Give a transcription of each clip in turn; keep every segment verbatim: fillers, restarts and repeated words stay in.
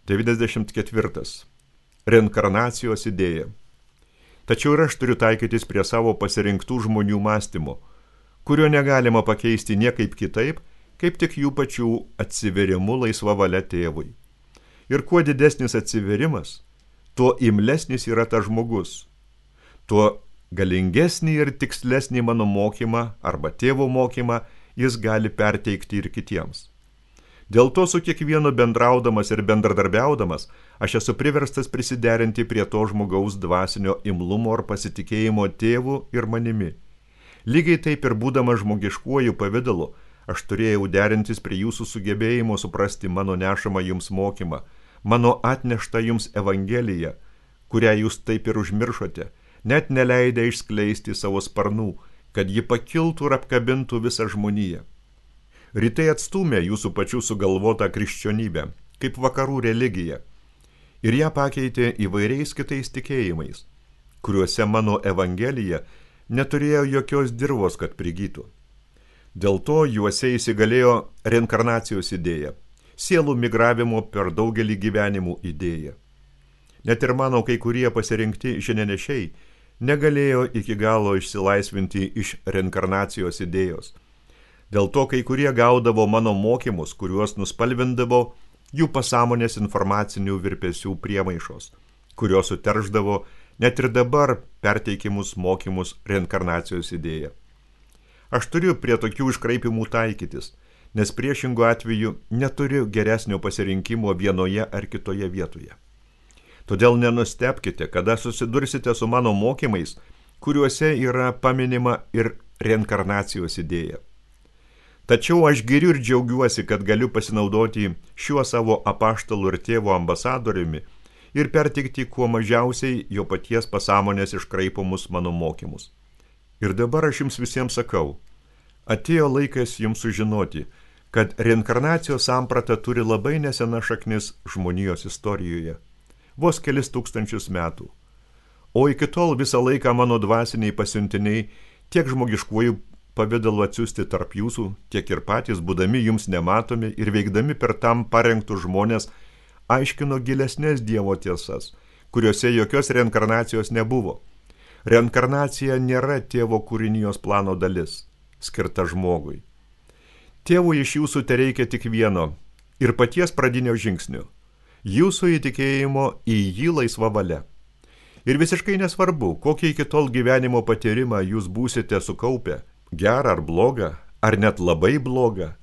devyniasdešimt ketvirtas. Reinkarnacijos idėja. Tačiau ir aš turiu taikytis prie savo pasirinktų žmonių mąstymo, kurio negalima pakeisti niekaip kitaip, kaip tik jų pačių atsiverimu laisva valia tėvui. Ir kuo didesnis atsiverimas, tuo imlesnis yra tas žmogus, tuo galingesnį ir tikslesnį mano mokymą arba tėvo mokymą jis gali perteikti ir kitiems. Dėl to su kiekvienu bendraudamas ir bendradarbiaudamas, aš esu priverstas prisiderinti prie to žmogaus dvasinio imlumo ar pasitikėjimo tėvu ir manimi. Lygiai taip ir būdamas žmogiškuoju pavidalu, aš turėjau derintis prie jūsų sugebėjimo suprasti mano nešamą jums mokymą, mano atneštą jums evangeliją, kurią jūs taip ir užmiršote, net neleidę išskleisti savo sparnų, kad ji pakiltų ir apkabintų visą žmoniją. Rytai atstūmė jūsų pačių sugalvotą krikščionybę, kaip vakarų religiją, ir ją pakeitė įvairiais kitais tikėjimais, kuriuose mano evangelija neturėjo jokios dirvos, kad prigytų. Dėl to juose įsigalėjo reinkarnacijos idėja, sielų migravimo per daugelį gyvenimų idėja. Net ir mano kai kurie pasirinkti žinenešiai negalėjo iki galo išsilaisvinti iš reinkarnacijos idėjos. Dėl to kai kurie gaudavo mano mokymus, kuriuos nuspalvindavo jų pasąmonės informacinių virpesių priemaišos, kurios suterždavo net ir dabar perteikimus mokymus reinkarnacijos idėja. Aš turiu prie tokių iškraipimų taikytis, nes priešingų atveju neturiu geresnio pasirinkimo vienoje ar kitoje vietoje. Todėl nenustebkite, kada susidursite su mano mokymais, kuriuose yra paminima ir reinkarnacijos idėja. Tačiau aš giriu ir džiaugiuosi, kad galiu pasinaudoti šiuo savo apaštalų ir tėvo ambasadoriumi ir pertikti kuo mažiausiai jo paties pasąmonės iškraipomus mano mokymus. Ir dabar aš jums visiems sakau, atėjo laikas jums sužinoti, kad reinkarnacijos samprata turi labai nesenas šaknis žmonijos istorijoje, vos kelis tūkstančius metų. O iki tol visą laiką mano dvasiniai pasiuntiniai tiek žmogiškuoju pavidalu atsiųsti tarp jūsų, tiek ir patys, būdami jums nematomi ir veikdami per tam parengtus žmonės, aiškino gilesnės Dievo tiesas, kuriuose jokios reinkarnacijos nebuvo. Reinkarnacija nėra tėvo kūrinijos plano dalis, skirta žmogui. Tėvui iš jūsų tereikia tik vieno ir paties pradinio žingsnio, jūsų įtikėjimo į jį laisva valia. Ir visiškai nesvarbu, kokį iki tol gyvenimo patyrimą jūs būsite sukaupę, gerą ar blogą, ar net labai blogą,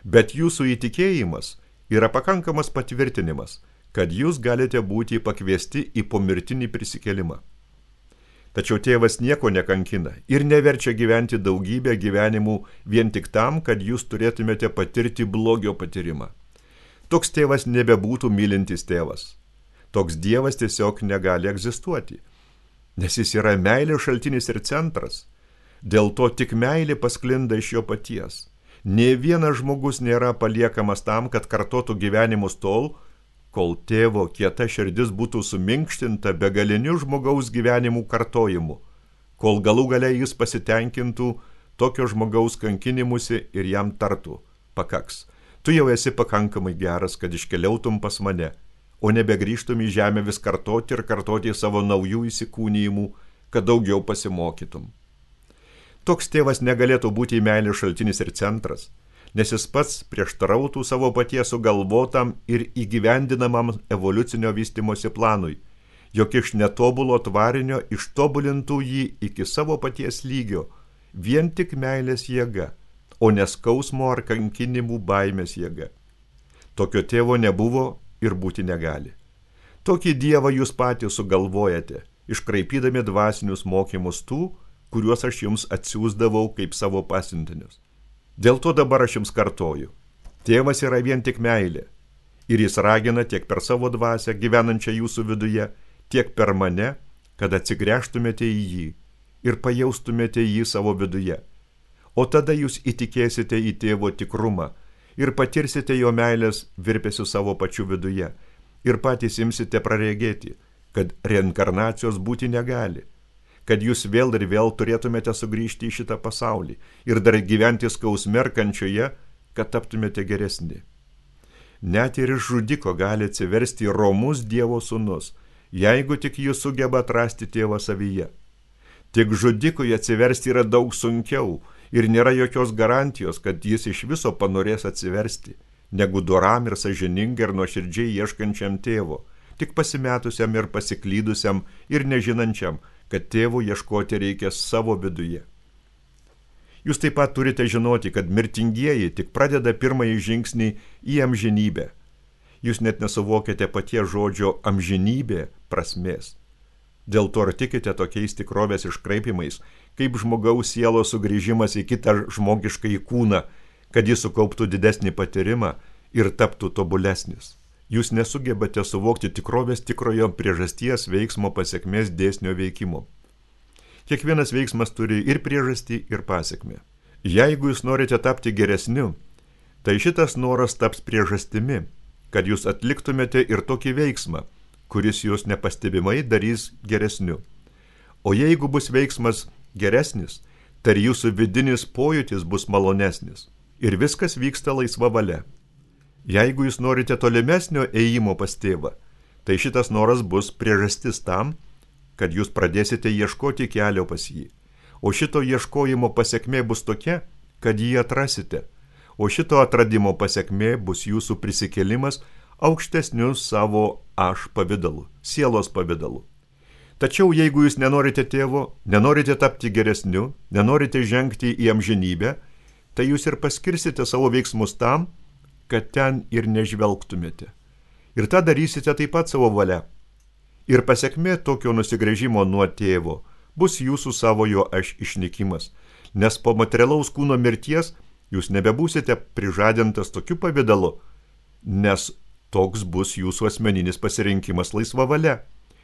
bet jūsų įtikėjimas yra pakankamas patvirtinimas, kad jūs galite būti pakviesti į pomirtinį prisikėlimą. Tačiau tėvas nieko nekankina ir neverčia gyventi daugybę gyvenimų vien tik tam, kad jūs turėtumėte patirti blogio patyrimą. Toks tėvas nebebūtų mylintis tėvas. Toks Dievas tiesiog negali egzistuoti, nes jis yra meilės šaltinis ir centras. Dėl to tik meilė pasklinda iš jo paties. Nė vienas žmogus nėra paliekamas tam, kad kartotų gyvenimus tol, kol tėvo kieta širdis būtų suminkštinta begaliniu žmogaus gyvenimų kartojimu, kol galų gale jis pasitenkintų tokio žmogaus kankinimusi ir jam tartų, pakaks, tu jau esi pakankamai geras, kad iškeliautum pas mane, o nebegrįžtum į žemę vis kartoti ir kartoti savo naujų įsikūnijimų, kad daugiau pasimokytum. Toks tėvas negalėtų būti meilės šaltinis ir centras, nes jis pats prieštarautų savo paties sugalvotam ir įgyvendinamam evoliucinio vystymosi planui, jog iš netobulo tvarinio ištobulintų jį iki savo paties lygio, vien tik meilės jėga, o neskausmo ar kankinimų baimės jėga. Tokio tėvo nebuvo ir būti negali. Tokį dievą jūs patys sugalvojate, iškraipydami dvasinius mokymus tų, kuriuos aš jums atsiųsdavau kaip savo pasiuntinius. Dėl to dabar aš jums kartoju. Tėvas yra vien tik meilė, ir jis ragina tiek per savo dvasią gyvenančią jūsų viduje, tiek per mane, kad atsigręžtumėte į jį ir pajaustumėte jį savo viduje. O tada jūs įtikėsite į tėvo tikrumą ir patirsite jo meilės virpesių savo pačių viduje ir patys imsite praregėti, kad reinkarnacijos būti negali, kad jūs vėl ir vėl turėtumėte sugrįžti į šitą pasaulį ir dar gyventi skausme ir kančioje, kad taptumėte geresni. net ir iš žudiko gali atsiversti romus Dievo sūnus, jeigu tik jis sugeba atrasti tėvą savyje. Tik žudikui atsiversti yra daug sunkiau ir nėra jokios garantijos, kad jis iš viso panorės atsiversti, negu doram ir sąžiningai ir nuoširdžiai ieškančiam tėvo, tik pasimetusiam ir pasiklydusiam ir nežinančiam, kad tėvo ieškoti reikia savo viduje. Jūs taip pat turite žinoti, kad mirtingieji tik pradeda pirmąjį žingsnį į amžinybę. Jūs net nesuvokėte paties žodžio amžinybė prasmės. Dėl to ir tikite tokiais tikrovės iškraipimais, kaip žmogaus sielos sugrįžimas į kitą žmogiškąjį kūną, kad jis sukauptų didesnį patyrimą ir taptų tobulesnis. Jūs nesugebate suvokti tikrovės tikrojo priežasties veiksmo pasekmės dėsnio veikimo. Kiekvienas veiksmas turi ir priežastį, ir pasekmę. Jeigu jūs norite tapti geresniu, tai šitas noras taps priežastimi, kad jūs atliktumėte ir tokį veiksmą, kuris jūs nepastebimai darys geresniu. O jeigu bus veiksmas geresnis, tai jūsų vidinis pojūtis bus malonesnis. Ir viskas vyksta laisva valia. Jeigu jūs norite tolimesnio ėjimo pas tėvą, tai šitas noras bus priežastis tam, kad jūs pradėsite ieškoti kelio pas jį. O šito ieškojimo pasekmė bus tokia, kad jį atrasite. O šito atradimo pasekmė bus jūsų prisikėlimas aukštesniu savo aš pavidalu, sielos pavidalu. Tačiau jeigu jūs nenorite tėvo, nenorite tapti geresniu, nenorite žengti į amžinybę, tai jūs ir paskirsite savo veiksmus tam, kad ten ir nežvelgtumėte. Ir tą darysite taip pat savo valia. Ir pasekmė tokio nusigręžimo nuo tėvo bus jūsų savojo aš išnykimas, nes po materialaus kūno mirties jūs nebebūsite prižadintas tokiu pavidalu, nes toks bus jūsų asmeninis pasirinkimas laisva valia,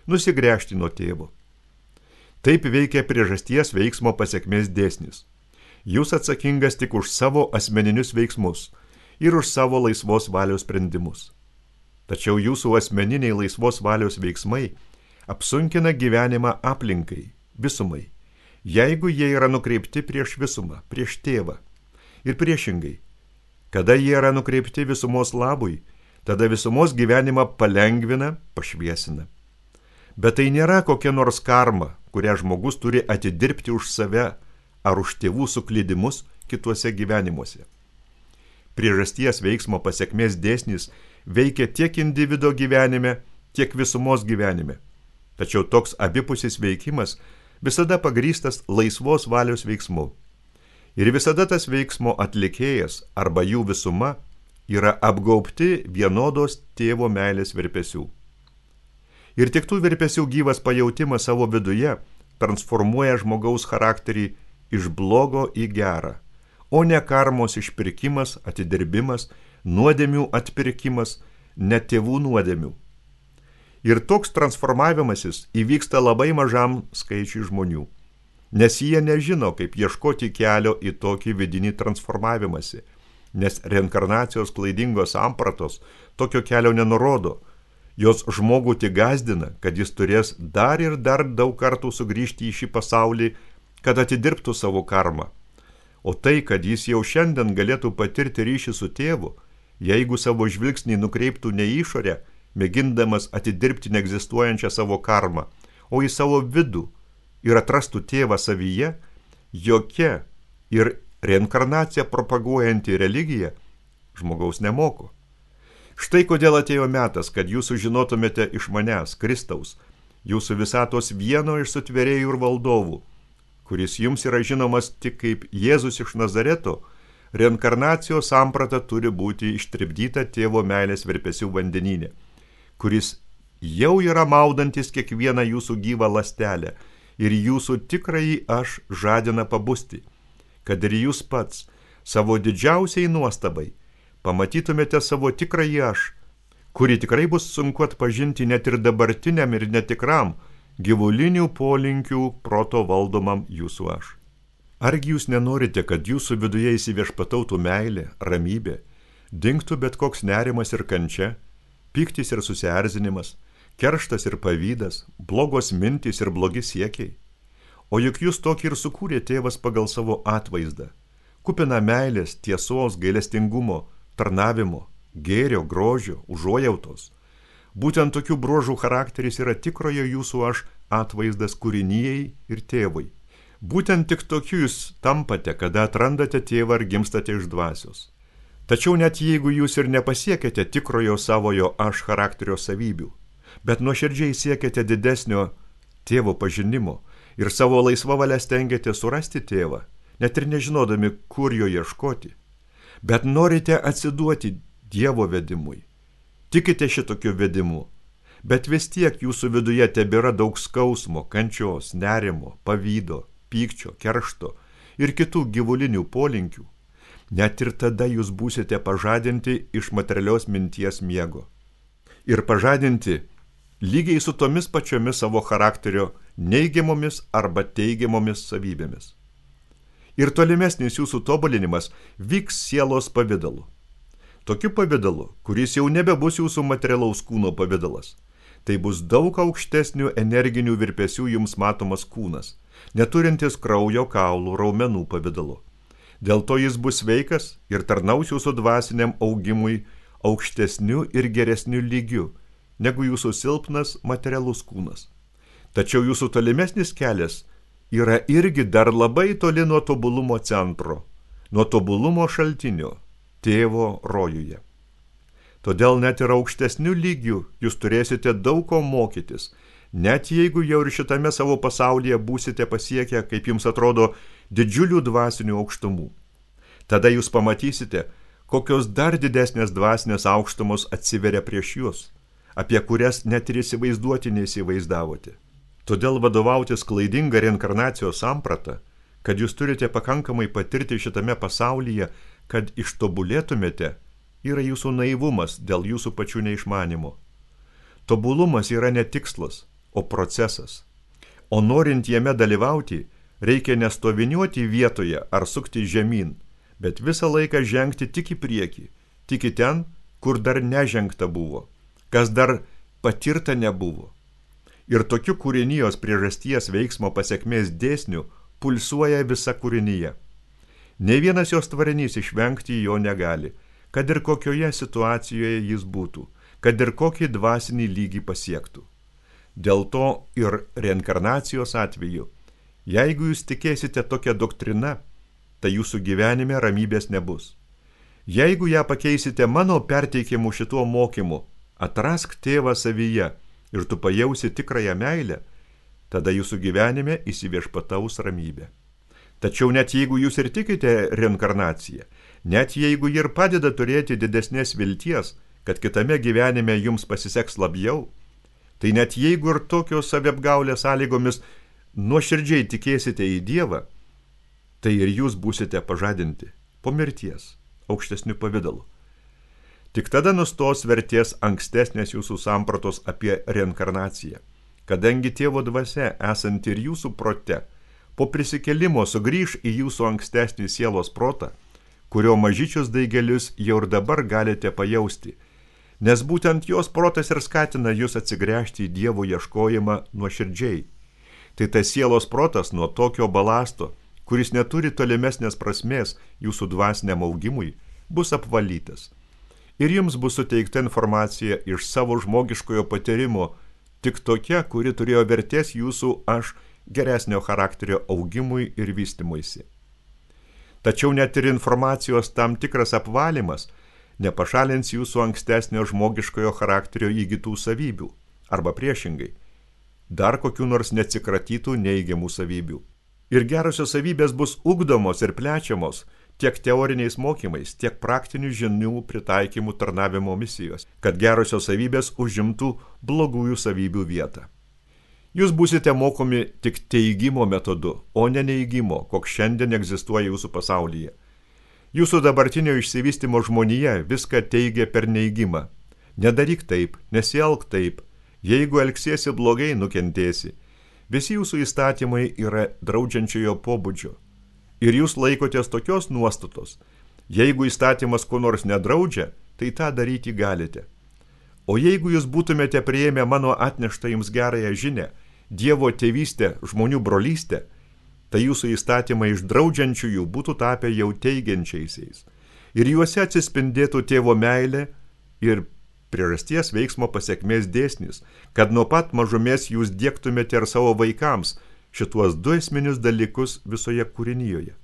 nusigręžti nuo tėvo. Taip veikia priežasties veiksmo pasekmės dėsnis. Jūs atsakingas tik už savo asmeninius veiksmus ir už savo laisvos valios sprendimus. Tačiau jūsų asmeniniai laisvos valios veiksmai apsunkina gyvenimą aplinkai, visumai, jeigu jie yra nukreipti prieš visumą, prieš tėvą. Ir priešingai, kada jie yra nukreipti visumos labui, tada visumos gyvenimą palengvina, pašviesina. Bet tai nėra kokia nors karma, kurią žmogus turi atidirbti už save ar už tėvų suklydimus kituose gyvenimuose. Priežasties veiksmo pasekmės dėsnis veikia tiek individo gyvenime, tiek visumos gyvenime. Tačiau toks abipusis veikimas visada pagrįstas laisvos valios veiksmu. Ir visada tas veiksmo atlikėjas arba jų visuma yra apgaubti vienodos tėvo meilės virpesių. Ir tik tų virpesių gyvas pajautimas savo viduje transformuoja žmogaus charakterį iš blogo į gerą, o ne karmos išpirkimas, atidirbimas, nuodėmių atpirkimas, ne tėvų nuodėmių. Ir toks transformavimasis įvyksta labai mažam skaičiui žmonių, nes jie nežino, kaip ieškoti kelio į tokį vidinį transformavimąsi, nes reinkarnacijos klaidingos sampratos tokio kelio nenurodo, jos žmogų tik gąsdina, kad jis turės dar ir dar daug kartų sugrįžti į šį pasaulį, kad atidirbtų savo karmą. O tai, kad jis jau šiandien galėtų patirti ryšį su tėvu, jeigu savo žvilgsnį nukreiptų ne į išorę, mėgindamas atidirbti neegzistuojančią savo karmą, o į savo vidų ir atrastų tėvą savyje, jokia ir reinkarnaciją propaguojanti religija žmogaus nemoko. Štai kodėl atėjo metas, kad jūs sužinotumėte iš manęs, Kristaus, jūsų visatos vieno iš sutvėrėjų ir valdovų, kuris jums yra žinomas tik kaip Jėzus iš Nazareto, reinkarnacijos samprata turi būti ištripdyta tėvo meilės virpesių vandenyne, kuris jau yra maudantis kiekvieną jūsų gyvą ląstelę ir jūsų tikrąjį aš žadina pabusti, kad ir jūs pats savo didžiausiai nuostabai pamatytumėte savo tikrąjį aš, kurį tikrai bus sunku atpažinti net ir dabartiniam ir netikram gyvulinių polinkių proto valdomam jūsų aš. Argi jūs nenorite, kad jūsų viduje įsiviešpatautų meilė, ramybė, dingtų bet koks nerimas ir kančia, pyktis ir susierzinimas, kerštas ir pavydas, blogos mintys ir blogi siekiai? O juk jūs tokį ir sukūrė tėvas pagal savo atvaizdą, kupina meilės, tiesos, gailestingumo, tarnavimo, gėrio, grožio, užuojautos. Būtent tokių bruožų charakteris yra tikrojo jūsų aš atvaizdas kūrinijai ir tėvui. Būtent tik tokiu jūs tampate, kada atrandate tėvą ar gimstate iš dvasios. Tačiau net jeigu jūs ir nepasiekėte tikrojo savojo aš charakterio savybių, bet nuoširdžiai siekiate didesnio tėvo pažinimo ir savo laisvą valią stengiate surasti tėvą, net ir nežinodami, kur jo ieškoti, bet norite atsiduoti Dievo vedimui. Tikite šitokiu vedimu, bet vis tiek jūsų viduje tebėra daug skausmo, kančios, nerimo, pavydo, pykčio, keršto ir kitų gyvulinių polinkių. Net ir tada jūs būsite pažadinti iš materialios minties miego. Ir pažadinti lygiai su tomis pačiomis savo charakterio neigiamomis arba teigiamomis savybėmis. Ir tolimesnis jūsų tobulinimas vyks sielos pavidalu. Tokiu pavidalu, kuris jau nebebus jūsų materialaus kūno pavidalas. Tai bus daug aukštesnių energinių virpesių jums matomas kūnas, neturintis kraujo, kaulų, raumenų pavidalu. Dėl to jis bus sveikas ir tarnaus jūsų dvasiniam augimui aukštesniu ir geresniu lygiu, negu jūsų silpnas materialus kūnas. Tačiau jūsų tolimesnis kelias yra irgi dar labai toli nuo tobulumo centro, nuo tobulumo šaltinio, tėvo rojuje. Todėl net ir aukštesniu lygiu jūs turėsite daug ko mokytis, net jeigu jau ir šitame savo pasaulyje būsite pasiekę, kaip jums atrodo, didžiulių dvasinių aukštumų. Tada jūs pamatysite, kokios dar didesnės dvasinės aukštumos atsiveria prieš jūs, apie kurias net ir įsivaizduoti neįsivaizdavote. Todėl vadovautis klaidinga reinkarnacijos samprata, kad jūs turite pakankamai patirti šitame pasaulyje, kad ištobulėtumėte, yra jūsų naivumas dėl jūsų pačių neišmanimo. Tobulumas yra ne tikslas, o procesas. O norint jame dalyvauti, reikia nestoviniuoti vietoje ar sukti žemyn, bet visą laiką žengti tik į priekį, tik į ten, kur dar nežengta buvo, kas dar patirta nebuvo. Ir tokiu kūrinijos priežasties veiksmo pasekmės dėsnių pulsuoja visa kūrinyje. Nei vienas jos tvarinys išvengti jo negali, kad ir kokioje situacijoje jis būtų, kad ir kokį dvasinį lygį pasiektų. Dėl to ir reinkarnacijos atveju, jeigu jūs tikėsite tokią doktriną, tai jūsų gyvenime ramybės nebus. Jeigu ją pakeisite mano perteikimu šituo mokymu, atrask tėvą savyje ir tu pajausi tikrąją meilę, tada jūsų gyvenime įsiviešpataus ramybė. Tačiau net jeigu jūs ir tikite reinkarnaciją, net jeigu ji ir padeda turėti didesnės vilties, kad kitame gyvenime jums pasiseks labiau, tai net jeigu ir tokios saviapgaulės sąlygomis nuoširdžiai tikėsite į Dievą, tai ir jūs būsite pažadinti po mirties aukštesniu pavidalu. Tik tada nustos vertės ankstesnės jūsų sampratos apie reinkarnaciją, kadangi tėvo dvasia esanti ir jūsų prote, po prisikėlimo sugrįš į jūsų ankstesnį sielos protą, kurio mažyčius daigelius jau ir dabar galite pajausti, nes būtent jos protas ir skatina jūs atsigręžti į Dievo ieškojimą nuoširdžiai. Tai tas sielos protas nuo tokio balasto, kuris neturi tolimesnės prasmės jūsų dvasiniam augimui, bus apvalytas. Ir jums bus suteikta informacija iš savo žmogiškojo patyrimo, tik tokia, kuri turėjo vertės jūsų aš geresnio charakterio augimui ir vystymuisi. Tačiau net ir informacijos tam tikras apvalymas nepašalins jūsų ankstesnio žmogiškojo charakterio įgytų savybių, arba priešingai, dar kokių nors neatsikratytų neigiamų savybių. Ir gerosios savybės bus ugdomos ir plečiamos tiek teoriniais mokymais, tiek praktinių žinių pritaikymų tarnavimo misijos, kad gerosios savybės užimtų blogųjų savybių vietą. Jūs būsite mokomi tik teigimo metodu, o ne neigimo, koks šiandien egzistuoja jūsų pasaulyje. Jūsų dabartinio išsivystymo žmonija viską teigia per neigimą. Nedaryk taip, nesielk taip, jeigu elgsiesi blogai, nukentėsi. Visi jūsų įstatymai yra draudžiančiojo pobūdžio. Ir jūs laikotės tokios nuostatos. Jeigu įstatymas ko nors nedraudžia, tai tą daryti galite. O jeigu jūs būtumėte priėmę mano atneštą jums gerąją žinią, Dievo tėvystę, žmonių brolystę, tai jūsų įstatymai iš draudžiančiųjų būtų tapę jau teigiančiaisiais. Ir juose atsispindėtų tėvo meilė, ir priežasties veiksmo pasekmės dėsnis, kad nuo pat mažumės jūs diegtumėte ir savo vaikams šituos du esminius dalykus visoje kūrinijoje.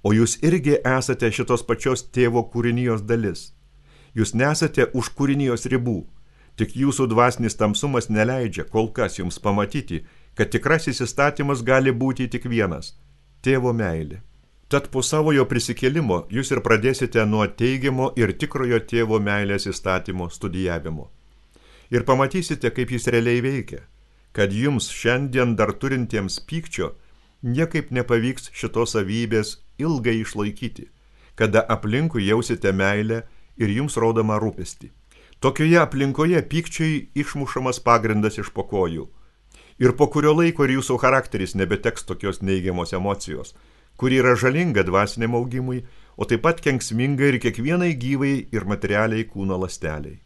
O jūs irgi esate šitos pačios tėvo kūrinijos dalis. Jūs nesate už kūrinijos ribų, tik jūsų dvasinis tamsumas neleidžia kol kas jums pamatyti, kad tikrasis įstatymas gali būti tik vienas – tėvo meilė. Tad po savojo prisikėlimo jūs ir pradėsite nuo teigiamo ir tikrojo tėvo meilės įstatymo studijavimo. Ir pamatysite, kaip jis realiai veikia, kad jums šiandien dar turintiems pykčio niekaip nepavyks šitos savybės ilgai išlaikyti, kada aplinkui jausite meilę ir jums rodoma rūpestį. Tokioje aplinkoje pykčiai išmušamas pagrindas iš po kojų. Ir po kurio laiko ir jūsų charakteris nebeteks tokios neigiamos emocijos, kuri yra žalinga dvasiniam augimui, o taip pat kenksminga ir kiekvienai gyvai ir materialiai kūno ląsteliai.